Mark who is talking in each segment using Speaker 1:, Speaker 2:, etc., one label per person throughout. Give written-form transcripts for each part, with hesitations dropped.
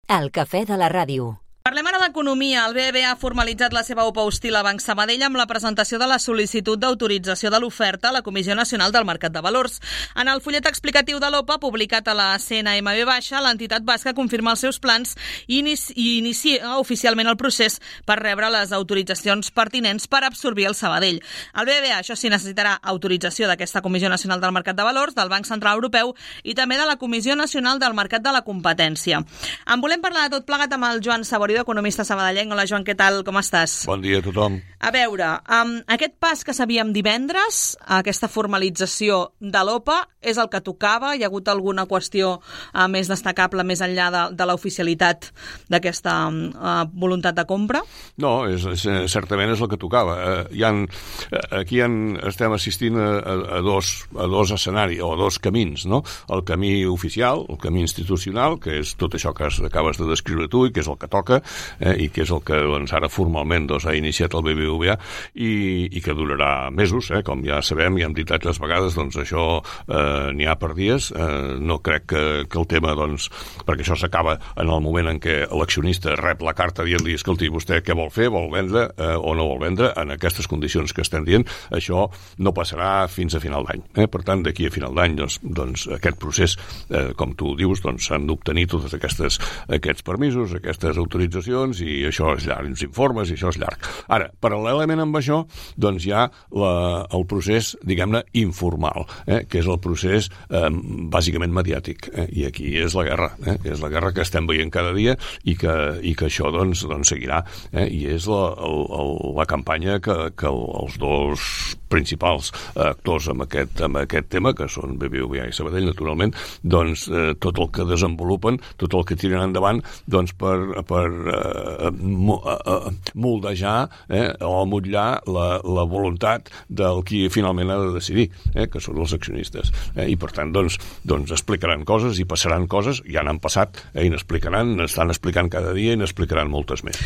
Speaker 1: El cafè de la ràdio.
Speaker 2: Parlem ara d'economia. El BBVA ha formalitzat la seva OPA hostil a Banc Sabadell amb la presentació de la sol·licitud d'autorització de l'oferta a la Comissió Nacional del Mercat de Valors. En el fullet explicatiu de l'OPA, publicat a la CNMV, l'entitat basca confirma els seus plans i inicia oficialment el procés per rebre les autoritzacions pertinents per absorbir el Sabadell. El BBVA, això sí, necessitarà autorització d'aquesta Comissió Nacional del Mercat de Valors, del Banc Central Europeu i també de la Comissió Nacional del Mercat de la Competència. En volem parlar de tot plegat amb el Joan Saborido, economista sabadellenc. Hola, Joan, què tal? Com estàs?
Speaker 3: Bon dia a tothom.
Speaker 2: A veure, aquest pas que sabíem divendres, aquesta formalització de l'OPA, és el que tocava? Hi ha hagut alguna qüestió més destacable més enllà de l'oficialitat d'aquesta voluntat de compra?
Speaker 3: No, certament és el que tocava. Aquí estem assistint a dos escenaris, o a dos camins, no? El camí oficial, el camí institucional, que és tot això que acabes de descriure tu i que és el que toca, i que és el que ara formalment ha iniciat el BBVA i que durarà mesos, com ja sabem i hem dit altres vegades, doncs això n'hi ha per dies. No crec que el tema, perquè això s'acaba en el moment en què l'accionista rep la carta dient-li, escolti, vostè què vol fer, vol vendre o no vol vendre, en aquestes condicions que estem dient, això no passarà fins a final d'any. Per tant, d'aquí a final d'any, doncs aquest procés, com tu dius, s'han d'obtenir tots aquests permisos, aquestes autoritzacions, i això és llarg, uns informes, i això és llarg. Ara, paral·lelament amb això, doncs hi ha el procés, diguem-ne, informal, que és el procés bàsicament mediàtic, i aquí és la guerra, és la guerra que estem veient cada dia i que això, doncs seguirà, i és la campanya que els dos principals actors amb aquest tema, que són BBVA i Sabadell, naturalment, doncs tot el que desenvolupen, tot el que tiren endavant, doncs per moldejar o motllar la voluntat del qui finalment ha de decidir, que són els accionistes. I per tant, doncs explicaran coses i passaran coses, ja n'han passat, i n'estan explicant cada dia i n'explicaran moltes més.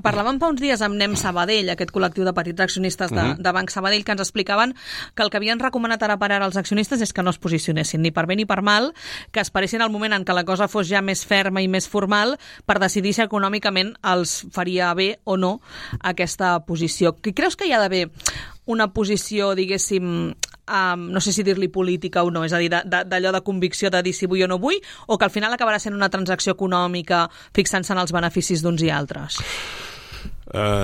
Speaker 2: Parlàvem fa uns dies amb Nem Sabadell, aquest col·lectiu de petits accionistes de Banc Sabadell, que ens explicaven que el que havien recomanat ara per ara als accionistes és que no es posicionessin ni per bé ni per mal, que esperessin el moment en què la cosa fos ja més ferma i més formal per decidir si econòmicament els faria bé o no aquesta posició. Creus que hi ha d'haver una posició, diguéssim, no sé si dir-li política o no, és a dir, d'allò de convicció de dir si vull o no vull, o que al final acabarà sent una transacció econòmica fixant-se en els beneficis d'uns i altres?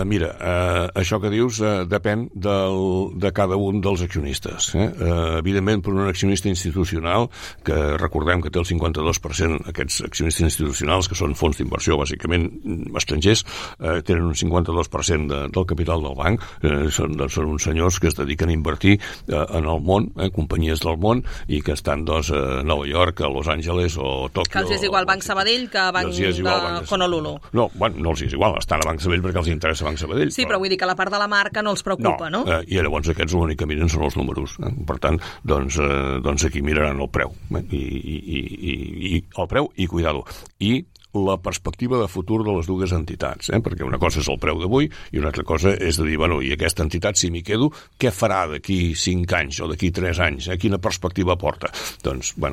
Speaker 3: Mira, això que dius depèn de cada un dels accionistes. Evidentment, per un accionista institucional, que recordem que té el 52%, aquests accionistes institucionals, que són fons d'inversió, bàsicament estrangers, tenen un 52% del capital del banc, són uns senyors que es dediquen a invertir en el món, companyies del món, i que estan a Nova York, a Los Angeles o Tòquio.
Speaker 2: Que els és igual Banc Sabadell que Banc de Honolulu.
Speaker 3: No els és igual, estan a Banc Sabadell perquè els interessa Banc Sabadell.
Speaker 2: Sí, però vull dir que la part de la marca no els preocupa, no?
Speaker 3: I llavors aquests l'únic que miren són els números. Per tant, doncs aquí miraran el preu. I el preu i cuidado. I la perspectiva de futur de les dues entitats, perquè una cosa és el preu d'avui i una altra cosa és de dir, i aquesta entitat, si m'hi quedo, què farà d'aquí 5 anys o d'aquí 3 anys? Quina perspectiva porta?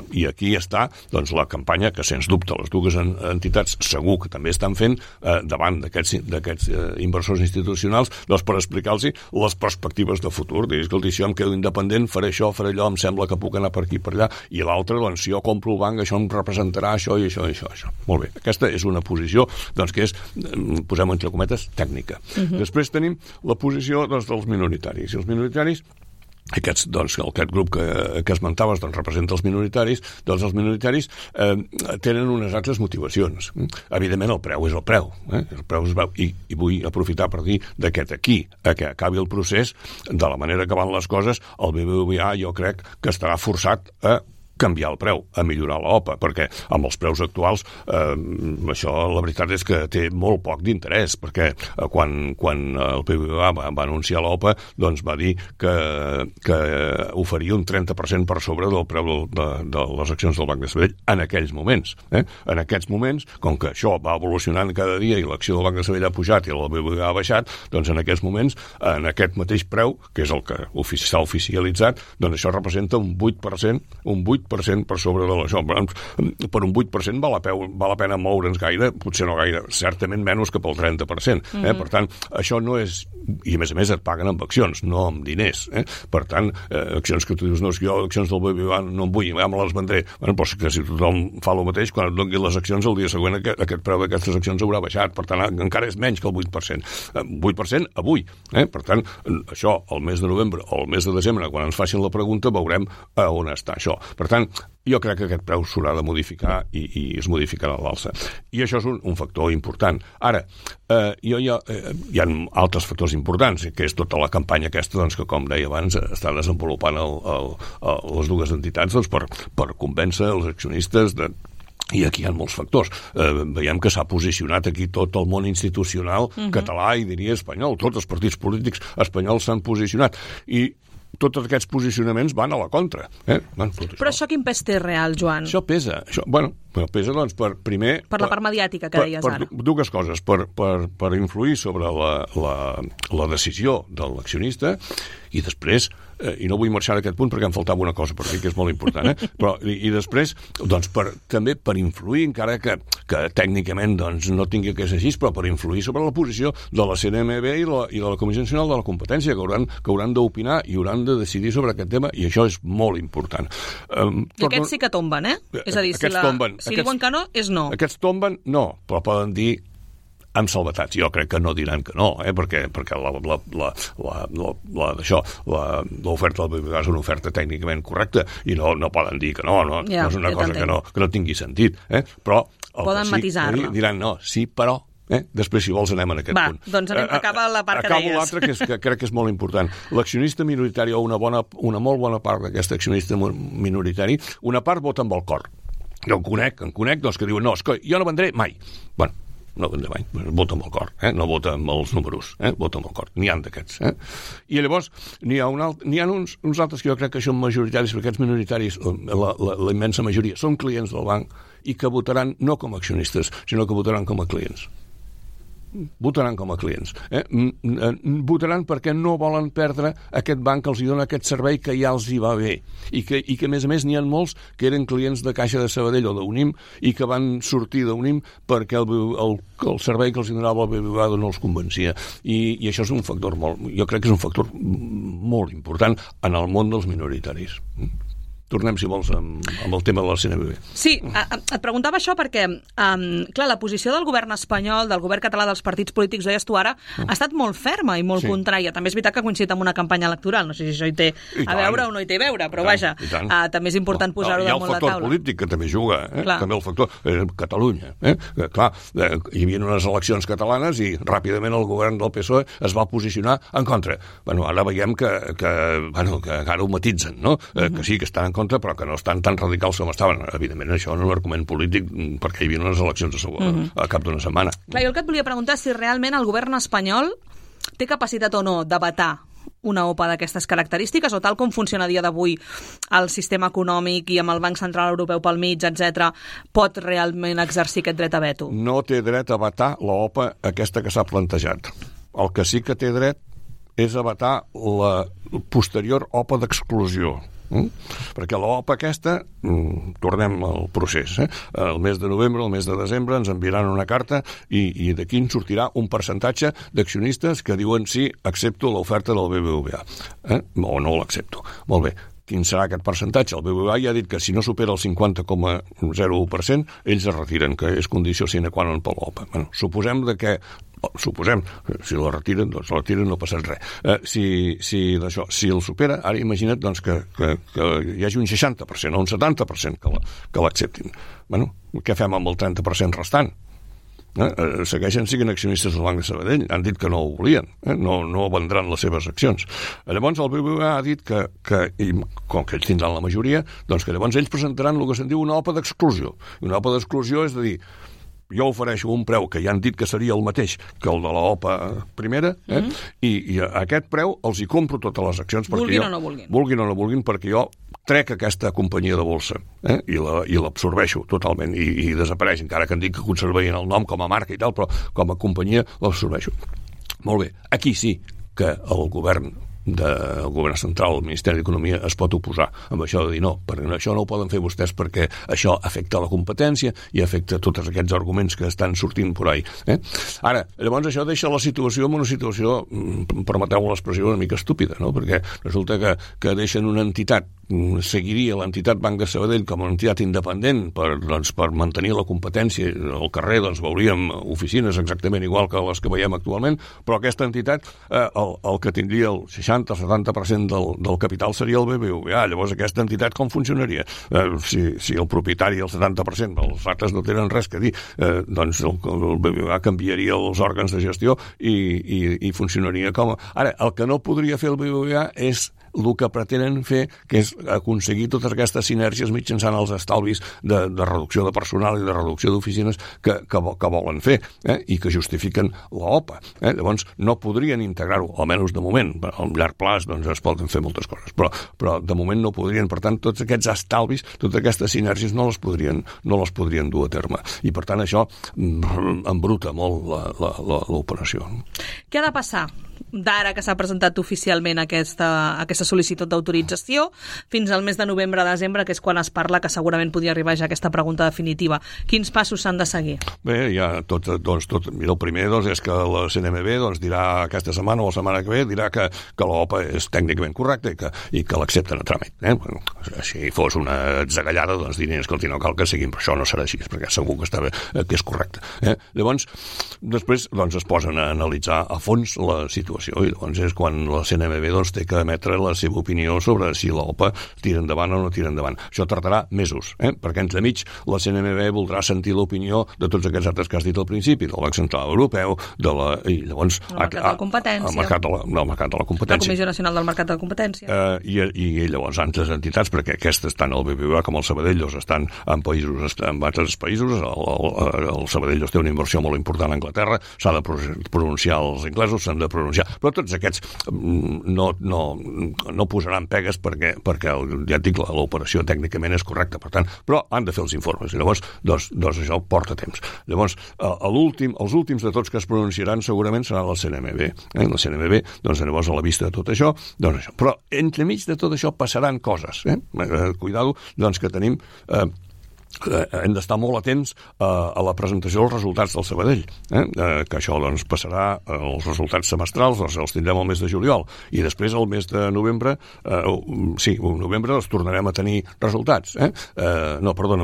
Speaker 3: I aquí està la campanya que, sens dubte, les dues entitats segur que també estan fent davant d'aquests inversors institucionals, per explicar-los les perspectives de futur. Dir, escolta, si jo em quedo independent, faré això, faré allò, em sembla que puc anar per aquí, per allà, i l'altre, si jo compro el banc, això em representarà això i això i això. Molt bé. Aquesta és una posició que és, posem entre cometes, tècnica. Després tenim la posició dels minoritaris. I els minoritaris, aquest grup que esmentaves representa els minoritaris, els minoritaris tenen unes altres motivacions. Evidentment el preu és el preu, el preu es veu, i vull aprofitar per dir que d'aquí a que acabi el procés, de la manera que van les coses, el BBVA jo crec que estarà forçat a canviar el preu, a millorar l'OPA, perquè amb els preus actuals això la veritat és que té molt poc d'interès, perquè quan el BBVA va anunciar l'OPA doncs va dir que oferia un 30% per sobre del preu de les accions del Banc de Sabadell en aquells moments. En aquests moments, com que això va evolucionant cada dia i l'acció del Banc de Sabadell ha pujat i el BBVA ha baixat, doncs en aquests moments, en aquest mateix preu, que és el que s'ha oficialitzat, doncs això representa un 8%, 8% per sobre de l'això. Per un 8% val la pena moure'ns gaire, potser no gaire, certament menys que pel 30%. Per tant, això no és... I a més et paguen amb accions, no amb diners. Per tant, accions que tu dius, no, és que jo accions del BBVA no en vull, ja me les vendré. Però que si tothom fa el mateix, quan et donin les accions, el dia següent aquest preu d'aquestes accions haurà baixat. Per tant, encara és menys que el 8%. 8% avui. Per tant, això, el mes de novembre o el mes de desembre, quan ens facin la pregunta, veurem a on està això. Per tant, jo crec que aquest preu s'haurà de modificar i es modificarà a l'alça. I això és un factor important. Ara, hi ha altres factors importants, que és tota la campanya aquesta, doncs, que, com deia abans, està desenvolupant les dues entitats per convèncer els accionistes i aquí hi ha molts factors. Veiem que s'ha posicionat aquí tot el món institucional català i diria espanyol. Tots els partits polítics espanyols s'han posicionat i tots aquests posicionaments van a la contra.
Speaker 2: Però això quin pes té real, Joan?
Speaker 3: Això pesa. Pesa, doncs, primer...
Speaker 2: Per la part mediàtica que deies ara.
Speaker 3: Per dues coses. Per influir sobre la decisió de l'accionista i després, i no vull marxar d'aquest punt perquè em faltava una cosa per dir que és molt important, però i després, doncs, també per influir, encara que tècnicament doncs, no tingui que ser així, però per influir sobre la posició de la CNMV i de la Comissió Nacional de la Competència, que hauran d'opinar i hauran de decidir sobre aquest tema, i això és molt important.
Speaker 2: I aquests sí que tomben, És a dir, si diuen que no, és no.
Speaker 3: Aquests tomben, no, però poden dir amb salvetats. Jo crec que no diran que no, perquè l'oferta del BBVA és una oferta tècnicament correcta i no poden dir que no és una cosa que no tingui sentit. Però
Speaker 2: poden matisar-la.
Speaker 3: Diran no, sí, però... Després, si vols, anem en aquest punt.
Speaker 2: Doncs acaba la part que deies.
Speaker 3: Acabo l'altre, que crec que és molt important. L'accionista minoritari, o una molt bona part d'aquest accionista minoritari, una part vota amb el cor. Jo em conec, doncs, que diuen, no, és que jo no vendré mai. Bueno, no vendré mai, vota amb el cor, no vota amb els números, vota amb el cor. N'hi ha d'aquests. I llavors, n'hi ha uns altres que jo crec que són majoritaris, perquè aquests minoritaris, la immensa majoria, són clients del banc i que votaran no com a accionistes, sinó que votaran com a clients. Votaran com a clients. Votaran perquè no volen perdre aquest banc que els dona aquest servei que ja els hi va bé i que a més a més n'hi ha molts que eren clients de Caixa de Sabadell o d'Unim i que van sortir d'Unim perquè el servei que els donava el BBVA no els convencia. I això és un factor jo crec que és un factor molt important en el món dels minoritaris. Tornem, si vols, amb el tema de la CNMV.
Speaker 2: Sí, et preguntava això perquè, clar, la posició del govern espanyol, del govern català, dels partits polítics, ho deies tu ara, ha estat molt ferma i molt contrària. També és veritat que ha coincidit amb una campanya electoral. No sé si això hi té a veure o no hi té a veure, però vaja, també és important posar-ho damunt la taula.
Speaker 3: Hi ha el factor polític que també juga, també el factor Catalunya. Clar, hi havia unes eleccions catalanes i ràpidament el govern del PSOE es va posicionar en contra. Ara veiem que ara ho matitzen, no? Que sí, que estan en contra, però que no estan tan radicals com estaven. Evidentment, això no és un argument polític perquè hi havia unes eleccions a cap d'una setmana.
Speaker 2: Clar, jo el que et volia preguntar és si realment el govern espanyol té capacitat o no de vetar una OPA d'aquestes característiques o tal com funciona a dia d'avui el sistema econòmic i amb el Banc Central Europeu pel mig, etc., pot realment exercir aquest dret a veto?
Speaker 3: No té dret a vetar l'OPA aquesta que s'ha plantejat. El que sí que té dret és a vetar la posterior OPA d'exclusió. Perquè l'OPA aquesta, tornem al procés, el mes de novembre, el mes de desembre ens enviaran una carta i d'aquí en sortirà un percentatge d'accionistes que diuen sí, accepto l'oferta del BBVA o no l'accepto. Molt bé. Quin serà aquest percentatge? El BBVA ja ha dit que si no supera el 50,01% ells es retiren, que és condició sine qua non per l'OPA. Suposem, si la retiren, doncs la retiren, no passa res. Si el supera, ara imagina't doncs, que hi hagi un 60% o un 70% que l'acceptin. Què fem amb el 30% restant? Segueixen sent accionistes del Banc de Sabadell, han dit que no ho volien, no vendran les seves accions. Llavors el BBVA ha dit que com que ells tindran la majoria, doncs que llavors ells presentaran el que se'n diu una OPA d'exclusió. Una OPA d'exclusió és a dir, jo ofereixo un preu que ja han dit que seria el mateix que el de la OPA primera, i a aquest preu els hi compro totes les accions.
Speaker 2: Vulguin o no vulguin.
Speaker 3: Vulguin o no vulguin, perquè jo trec aquesta companyia de bolsa i l'absorbeixo totalment i desapareix, encara que em dic que conservarien el nom com a marca i tal, però com a companyia l'absorbeixo. Molt bé, aquí sí que el govern del govern central, el Ministeri d'Economia, es pot oposar amb això de dir no, perquè això no ho poden fer vostès perquè això afecta la competència i afecta tots aquests arguments que estan sortint por ahí. Ara, llavors això deixa la situació en una situació, permeteu l'expressió, una mica estúpida, no? Perquè resulta que deixen una entitat, seguiria l'entitat Banc de Sabadell com una entitat independent per mantenir la competència. Al carrer veuríem oficines exactament igual que les que veiem actualment, però aquesta entitat, el que tindria el 60-70% del capital seria el BBVA. Llavors aquesta entitat com funcionaria? Si el propietari el 70%, els altres no tenen res que dir, doncs el BBVA canviaria els òrgans de gestió i funcionaria com... Ara, el que no podria fer el BBVA és el que pretenen fer, que és aconseguir totes aquestes sinergies mitjançant els estalvis de reducció de personal i de reducció d'oficines que volen fer i que justifiquen l'OPA. Llavors, no podrien integrar-ho, almenys de moment. A llarg plaç es poden fer moltes coses, però de moment no podrien. Per tant, tots aquests estalvis, totes aquestes sinergies no les podrien dur a terme. I, per tant, això embruta molt l'operació.
Speaker 2: Què ha de passar d'ara que s'ha presentat oficialment aquesta sol·licitud d'autorització fins al mes de novembre-desembre, que és quan es parla que segurament podria arribar ja aquesta pregunta definitiva? Quins passos s'han de seguir?
Speaker 3: Bé, ja mira, el primer és que la CNMV dirà aquesta setmana o la setmana que ve dirà que l'OPA és tècnicament correcta i que l'accepten a tràmit. Si fos una atzagallada, dirien, escolti, no cal que seguim, però això no serà així, perquè segur que és correcte. Llavors, després es posen a analitzar a fons la situació i llavors és quan la CNMV té que emetre la seva opinió sobre si l'OPA tira endavant o no tira endavant. Això tardarà mesos, perquè entremig la CNMV voldrà sentir l'opinió de tots aquests altres que has dit al principi, del Banc Central Europeu, i llavors...
Speaker 2: El mercat de la competència.
Speaker 3: El mercat de la competència.
Speaker 2: La Comissió Nacional del Mercat de la Competència.
Speaker 3: I llavors altres entitats, perquè aquestes tant el BBVA com el Sabadell estan en altres països. El Sabadell té una inversió molt important a Anglaterra, s'ha de pronunciar els inglesos, s'han de pronunciar, però tots aquests no posaran pegues perquè ja et dic, l'operació tècnicament és correcta, per tant, però han de fer els informes, i llavors això porta temps. Llavors, els últims de tots que es pronunciaran segurament serà la CNMV. La CNMV, llavors, a la vista de tot això, això. Però entremig de tot això passaran coses. Cuidado, que tenim... hem d'estar molt atents a la presentació dels resultats del Sabadell, que això passarà, els resultats semestrals els tindrem al mes de juliol, i després al mes de novembre novembre els tornarem a tenir resultats,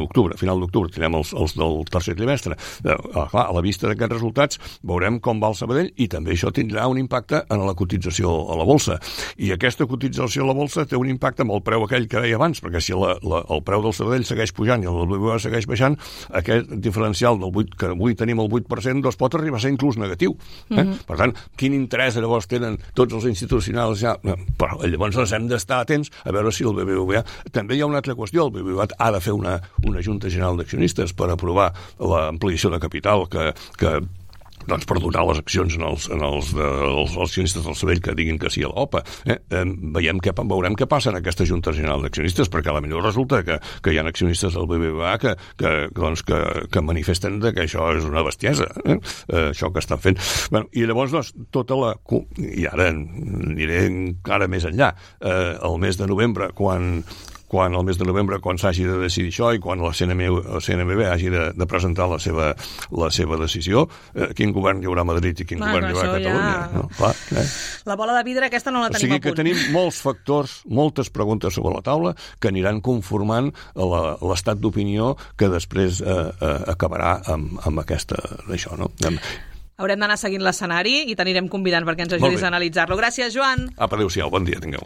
Speaker 3: octubre, final d'octubre tindrem els del tercer trimestre. Clar, a la vista d'aquests resultats veurem com va el Sabadell, i també això tindrà un impacte en la cotització a la bolsa, i aquesta cotització a la bolsa té un impacte amb el preu aquell que deia abans, perquè si el preu del Sabadell segueix pujant i el BBVA segueix baixant, aquest diferencial del 8, que avui tenim el 8%, pot arribar a ser inclús negatiu. Per tant, quin interès llavors tenen tots els institucionals ja? Però llavors hem d'estar atents a veure si el BBVA... També hi ha una altra qüestió, el BBVA ha de fer una Junta General d'Accionistes per aprovar l'ampliació de capital que per donar les accions als accionistes del Sabadell que diguin que sí a l'OPA. Veurem què passa en aquesta Junta General d'Accionistes, perquè a la millor resulta que hi ha accionistes del BBVA que manifesten que això és una bestiesa, això que estan fent. I llavors, i ara aniré encara més enllà, el mes de novembre, quan s'hagi de decidir això i quan la CNMV hagi de presentar la seva decisió, quin govern hi haurà a Madrid i quin govern hi haurà a Catalunya.
Speaker 2: Ja... No? Clar, la bola de vidre aquesta no la tenim a punt. O sigui
Speaker 3: que tenim molts factors, moltes preguntes sobre la taula que aniran conformant l'estat d'opinió que després acabarà amb aquesta d'això, no?
Speaker 2: Haurem d'anar seguint l'escenari i t'anirem convidant perquè ens ajudis a analitzar-lo. Gràcies, Joan.
Speaker 3: Adéu-siau, bon dia, tingueu.